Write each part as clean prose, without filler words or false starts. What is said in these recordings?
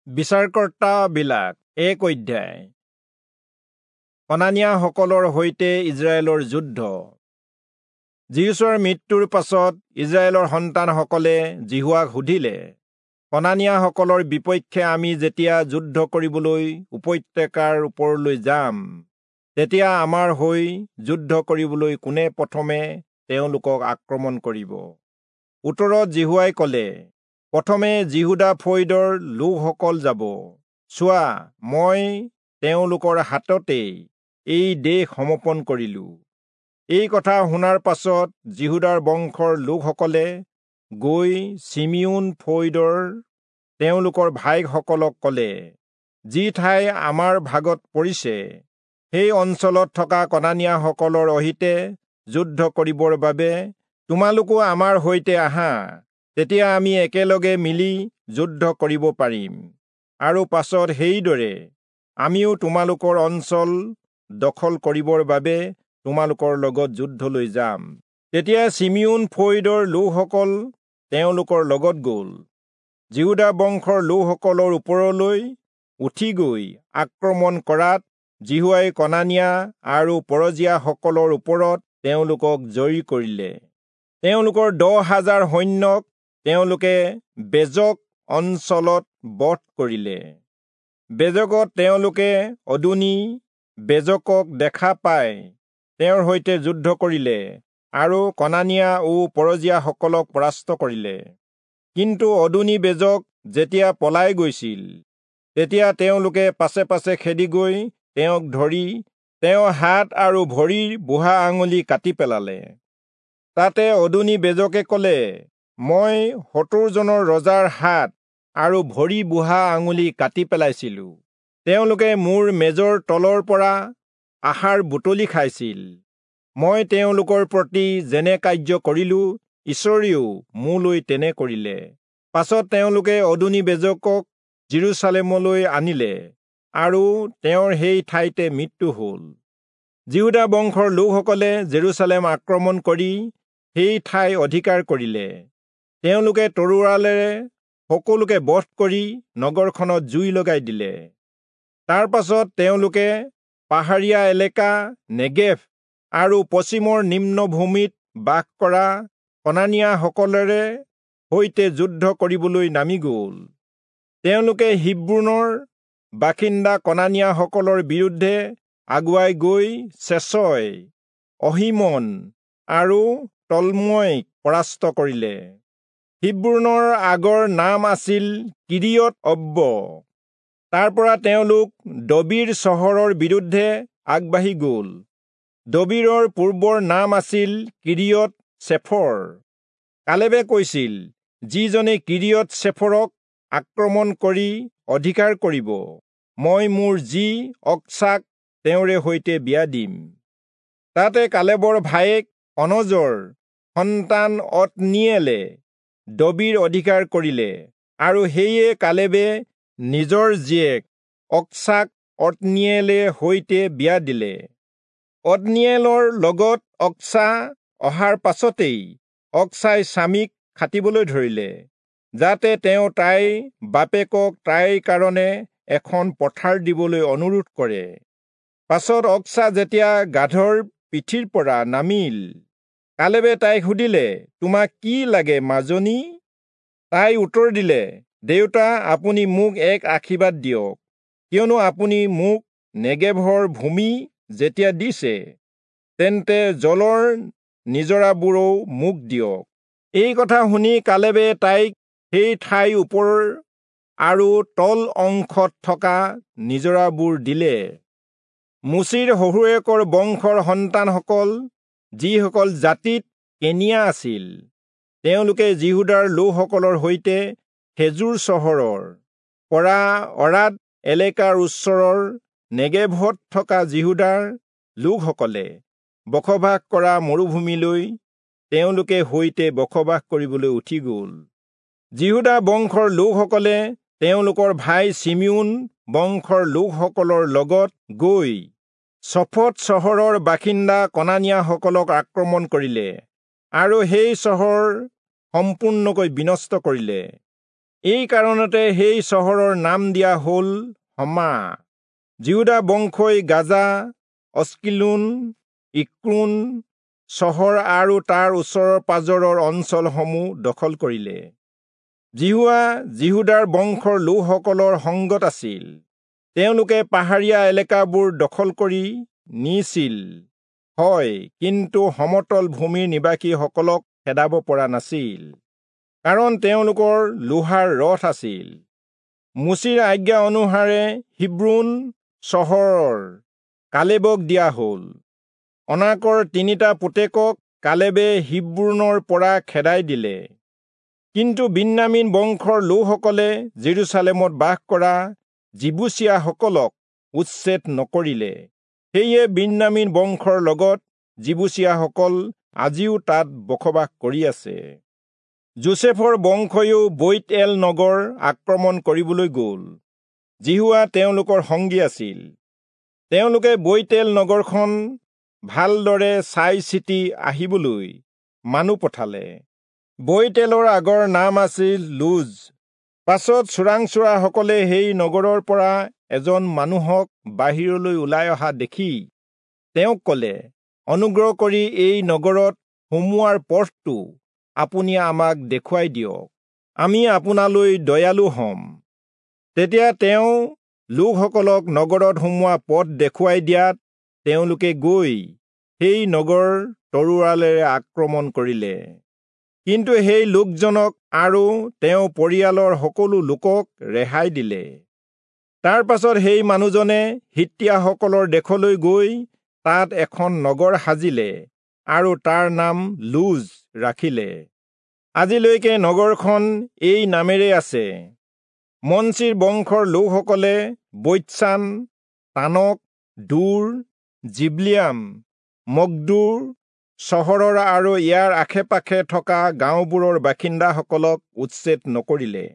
বিচাৰকৰ্তাবিলাক 1 অধ্যায়। কনানীয়াসকলৰ সৈতে ইজৰাইলৰ যুদ্ধ। যিহোচূৱাৰ মৃত্যুৰ পাছত ইজৰাইলৰ সন্তানসকলে যিহোৱাক সুধিলে, কনানীয়াসকলৰ বিপক্ষে আমি যেতিয়া যুদ্ধ কৰিবলৈ উপত্যকাৰ ওপৰলৈ যাম, তেতিয়া আমাৰ হৈ যুদ্ধ কৰিবলৈ কোনে প্ৰথমে তেওঁলোকক আক্ৰমণ কৰিব? উত্তৰত যিহোৱাই ক'লে, প্ৰথমে যিহূদা ফৈদৰ লোকসকল যাব। চোৱা, মই তেওঁলোকৰ হাততেই এই দেশ সমৰ্পণ কৰিলো। এই কথা শুনাৰ পাছত যিহূদাৰ বংশৰ লোকসকলে গৈ চিমিয়োন ফৈদৰ তেওঁলোকৰ ভাইসকলক ক'লে, যি ঠাই আমাৰ ভাগত পৰিছে সেই অঞ্চলত থকা কনানীয়াসকলৰ অহিতে যুদ্ধ কৰিবৰ বাবে তোমালোকো আমাৰ সৈতে আহা, তেতিয়া আমি একেলগে মিলি যুদ্ধ কৰিব পাৰিম, আৰু পাছত সেইদৰে আমিও তোমালোকৰ অঞ্চল দখল কৰিবৰ বাবে তোমালোকৰ লগত যুদ্ধলৈ যাম। তেতিয়া চিমিয়োন ফৈদৰ লোকসকল তেওঁলোকৰ লগত গ'ল। যিহূদা বংশৰ লোকসকলৰ ওপৰলৈ উঠি গৈ আক্ৰমণ কৰাত যিহোৱাই কনানীয়া আৰু পৰজীয়াসকলৰ ওপৰত তেওঁলোকক জয়ী কৰিলে। তেওঁলোকৰ 10,000 সৈন্যক তেওঁলোকে বেজক অঞ্চলত বধ কৰিলে। বেজকত তেওঁলোকে অদোনি বেজকক দেখা পাই তেওঁৰ সৈতে যুদ্ধ কৰিলে আৰু কনানীয়া ও পৰজীয়াসকলক পৰাস্ত কৰিলে। কিন্তু অদোনি বেজক যেতিয়া পলাই গৈছিল, তেতিয়া তেওঁলোকে পাছে পাছে খেদি গৈ তেওঁক ধৰি তেওঁৰ হাত আৰু ভৰিৰ বুঢ়া আঙুলি কাটি পেলালে। তাতে অদোনি বেজকে ক'লে, মই 70 জনৰ ৰজাৰ হাত আৰু ভৰি বুঢ়া আঙুলি কাটি পেলাইছিলো। তেওঁলোকে মোৰ মেজৰ তলৰ পৰা আহাৰ বুটলি খাইছিল। মই তেওঁলোকৰ প্ৰতি যেনে কাৰ্য কৰিলো, ঈশ্বৰেও মোলৈ তেনে কৰিলে। পাছত তেওঁলোকে অদোনি বেজকক যিৰূচালেমলৈ আনিলে আৰু তেওঁৰ সেই ঠাইতে মৃত্যু হ'ল। যিহূদা বংশৰ লোকসকলে জেৰুচালেম আক্ৰমণ কৰি সেই ঠাই অধিকাৰ কৰিলে। তেওঁলোকে তৰোৱালেৰে সকলোকে বধ কৰি নগৰখনত জুই লগাই দিলে। তাৰ পাছত তেওঁলোকে পাহাৰীয়া এলেকা নেগেভ আৰু পশ্চিমৰ নিম্নভূমিত বাস কৰা কনানীয়াসকলেৰে সৈতে যুদ্ধ কৰিবলৈ নামি গ'ল। তেওঁলোকে হিব্ৰোনৰ বাসিন্দা কনানীয়াসকলৰ বিৰুদ্ধে আগুৱাই গৈ চেচয়, অহীমন আৰু তল্ময়ক পৰাস্ত কৰিলে। হিব্ৰোনৰ আগৰ নাম আছিল কিৰিয়ত অব্ব। তাৰ পৰা তেওঁলোক দবীৰ চহৰৰ বিৰুদ্ধে আগবাঢ়ি গ'ল। দবীৰৰ পূৰ্বৰ নাম আছিল কিৰিয়ত চেফৰ। কালেবে কৈছিল, যিজনে কিৰিয়ত চেফৰক আক্ৰমণ কৰি অধিকাৰ কৰিব, মই মোৰ জী অক্সাক তেওঁৰে সৈতে বিয়া দিম। তাতে কালেবৰ ভায়েক অনজৰ সন্তান অত্নীয়েলে দবীৰ অধিকাৰ কৰিলে, আৰু সেয়ে কালেবে নিজৰ জীয়েক অক্সাক অত্নীয়েলে সৈতে বিয়া দিলে। অত্নীয়েলৰ লগত অক্সা অহাৰ পাছতেই অক্সাই স্বামীক খাটিবলৈ ধৰিলে, যাতে তেওঁ তাইৰ বাপেকক তাইৰ কাৰণে এখন পথাৰ দিবলৈ অনুৰোধ কৰে। পাছত অক্সা যেতিয়া গাধৰ পিঠিৰ পৰা নামিল, কালেবে তাইক সুধিলে, তোমাক কি লাগে মাজনী? তাই উত্তৰ দিলে, দেউতা, আপুনি মোক এক আশীৰ্বাদ দিয়ক, কিয়নো আপুনি মোক নেগেভৰ ভূমি যেতিয়া দিছে, তেন্তে জলৰ নিজৰাবোৰো মোক দিয়ক। এই কথা শুনি কালেবে তাইক সেই ঠাইৰ ওপৰ আৰু তল অংশত থকা নিজৰাবোৰ দিলে। মোচিৰ শহুৰেকৰ বংশৰ সন্তানসকল, যিসকল জাতিত কেনিয়া আছিল, তেওঁলোকে যিহূদাৰ লোকসকলৰ সৈতে খেজুৰ চহৰৰ পৰা অৰাদ এলেকাৰ ওচৰৰ নেগেভত থকা যিহূদাৰ লোকসকলে বসবাস কৰা মৰুভূমিলৈ তেওঁলোকে সৈতে বসবাস কৰিবলৈ উঠি গ'ল। যিহূদা বংশৰ লোকসকলে তেওঁলোকৰ ভাই চিমিয়োন বংশৰ লোকসকলৰ লগত গৈ চফত চহৰৰ বাসিন্দা কনানীয়াসকলক আক্ৰমণ কৰিলে আৰু সেই চহৰ সম্পূৰ্ণকৈ বিনষ্ট কৰিলে। এই কাৰণতে সেই চহৰৰ নাম দিয়া হ'ল হমা। যিহূদা বংশই গাজা, অস্কিলোন, ইক্ৰোণ চহৰ আৰু তাৰ ওচৰৰ পাজৰৰ অঞ্চলসমূহ দখল কৰিলে। যিহোৱা যিহূদাৰ বংশৰ লোকসকলৰ সংগত আছিল। তেওঁলোকে পাহাৰীয়া এলেকাবোৰ দখল কৰি নিছিল হয়, কিন্তু সমতল ভূমিৰ নিবাসীসকলক খেদাব পৰা নাছিল, কাৰণ তেওঁলোকৰ লোহাৰ ৰথ আছিল। মোচিৰ আজ্ঞা অনুসাৰে হিব্ৰোণ চহৰৰ কালেবক দিয়া হ'ল। অনাকৰ 3টা পুতেকক কালেবে হিব্ৰোণৰ পৰা খেদাই দিলে। কিন্তু বিন্যামীন বংশৰ লোকসকলে জেৰুচালেমত বাস কৰা যিবূচীয়াসকলক উচ্ছেদ নকৰিলে। সেয়ে বিন্যামীন বংশৰ লগত যিবূচীয়াসকল আজিও তাত বসবাস কৰি আছে। যোচেফৰ বংশয়ো বৈৎএল নগৰ আক্ৰমণ কৰিবলৈ গ'ল। যিহোৱা তেওঁলোকৰ সংগী আছিল। তেওঁলোকে বৈৎএল নগৰখন ভালদৰে চাই চিতি আহিবলৈ মানুহ পঠালে। বৈৎএলৰ আগৰ নাম আছিল লুজ। পাছত চোৰাংচোৱাসকলে সেই নগৰৰ পৰা এজন মানুহক বাহিৰলৈ ওলাই অহা দেখি তেওঁক ক'লে, অনুগ্ৰহ কৰি এই নগৰত সোমোৱাৰ পথটো আপুনি আমাক দেখুৱাই দিয়ক, আমি আপোনালৈ দয়ালু হ'ম। তেতিয়া তেওঁ লোকসকলক নগৰত সোমোৱা পথ দেখুৱাই দিয়াত তেওঁলোকে গৈ সেই নগৰ তৰোৱালেৰে আক্ৰমণ কৰিলে। কিন্তু সেই লোকজনক আৰু তেওঁ পৰিয়ালৰ সকলো লোকক ৰেহাই দিলে। তাৰ পাছত সেই মানুহজনে হিত্তীয়াসকলৰ দেশলৈ গৈ তাত এখন নগৰ সাজিলে আৰু তাৰ নাম লুজ ৰাখিলে। আজিলৈকে নগৰখন এই নামেৰে আছে। মনচিৰ বংশৰ লোকসকলে বৈৎচান, তানক, দূৰ, জিবলিয়াম, মগদুৰ চহৰৰ আৰু ইয়াৰ আশে পাশে থকা গাঁওবোৰৰ বাসিন্দাসকলক উচ্ছেদ নকৰিলে,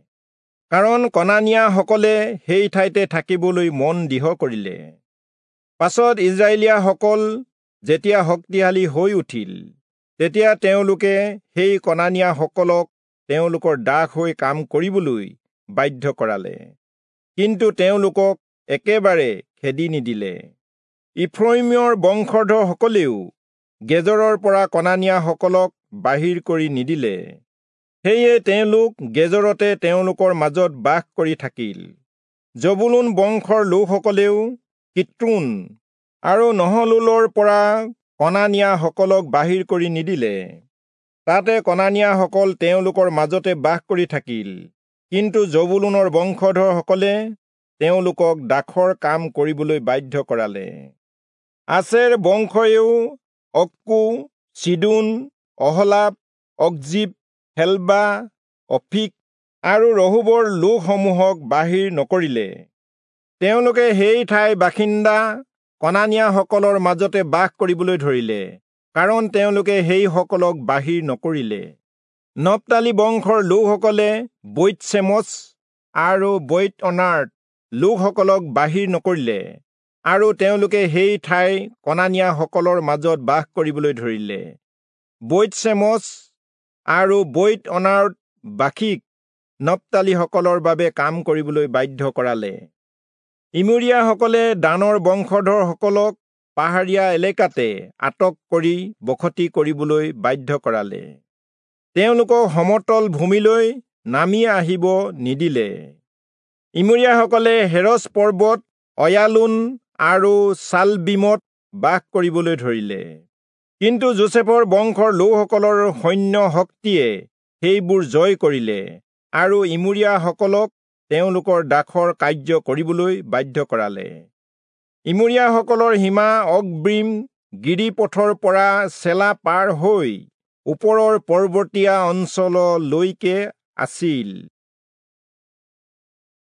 কাৰণ কনানীয়াসকলে সেই ঠাইতে থাকিবলৈ মন দৃঢ় কৰিলে। পাছত ইজৰাইলীয়াসকল যেতিয়া শক্তিশালী হৈ উঠিল, তেতিয়া তেওঁলোকে সেই কনানীয়াসকলক তেওঁলোকৰ দাস হৈ কাম কৰিবলৈ বাধ্য কৰালে, কিন্তু তেওঁলোকক একেবাৰে খেদি নিদিলে। ইফ্ৰয়িমৰ বংশধৰসকলেও গেজৰৰ পৰা কনানীয়াসকলক বাহিৰ কৰি নিদিলে, সেয়ে তেওঁলোক গেজৰতে তেওঁলোকৰ মাজত বাস কৰি থাকিল। জবুলূন বংশৰ লোকসকলেও কিত্ৰোণ আৰু নহলোলৰ পৰা কনানীয়াসকলক বাহিৰ কৰি নিদিলে। তাতে কনানীয়াসকল তেওঁলোকৰ মাজতে বাস কৰি থাকিল, কিন্তু জবুলূনৰ বংশধৰসকলে তেওঁলোকক দাসৰ কাম কৰিবলৈ বাধ্য কৰালে। আছেৰ বংশয়েও অক্কো, চিদোন, অহলাব, অকজিব, হেলবা, অফিক আৰু ৰহোবৰ লোকসমূহক বাহিৰ নকৰিলে। তেওঁলোকে সেই ঠাইৰ বাসিন্দা কনানীয়াসকলৰ মাজতে বাস কৰিবলৈ ধৰিলে, কাৰণ তেওঁলোকে সেইসকলক বাহিৰ নকৰিলে। নপ্তালী বংশৰ লোকসকলে বৈৎচেমচ আৰু বৈৎঅনাৰ্ত লোকসকলক বাহিৰ নকৰিলে আৰু তেওঁলোকে সেই ঠাইৰ কনানীয়াসকলৰ মাজত বাস কৰিবলৈ ধৰিলে। বৈৎচেমচ আৰু বৈৎঅনাৰ্ত বাসীক নপ্তালীসকলৰ বাবে কাম কৰিবলৈ বাধ্য কৰালে। ইমূৰীয়াসকলে দানৰ বংশধৰসকলক পাহাৰীয়া এলেকাতে আটক কৰি বসতি কৰিবলৈ বাধ্য কৰালে। তেওঁলোকক সমতল ভূমিলৈ নামি আহিব নিদিলে। ইমূৰীয়াসকলে হেৰচ পৰ্বত, অয়ালোন আৰু চালবীমত বাস কৰিবলৈ ধৰিলে। কিন্তু যোচেফৰ বংশৰ লোকসকলৰ সৈন্য শক্তিয়ে সেইবোৰ জয় কৰিলে আৰু ইমূৰীয়াসকলক তেওঁলোকৰ দাসৰ কাৰ্য কৰিবলৈ বাধ্য কৰালে। ইমূৰীয়াসকলৰ সীমা অকব্ৰীম গিৰিপথৰ পৰা চেলা পাৰ হৈ ওপৰৰ পৰ্বতীয়া অঞ্চললৈকে আছিল।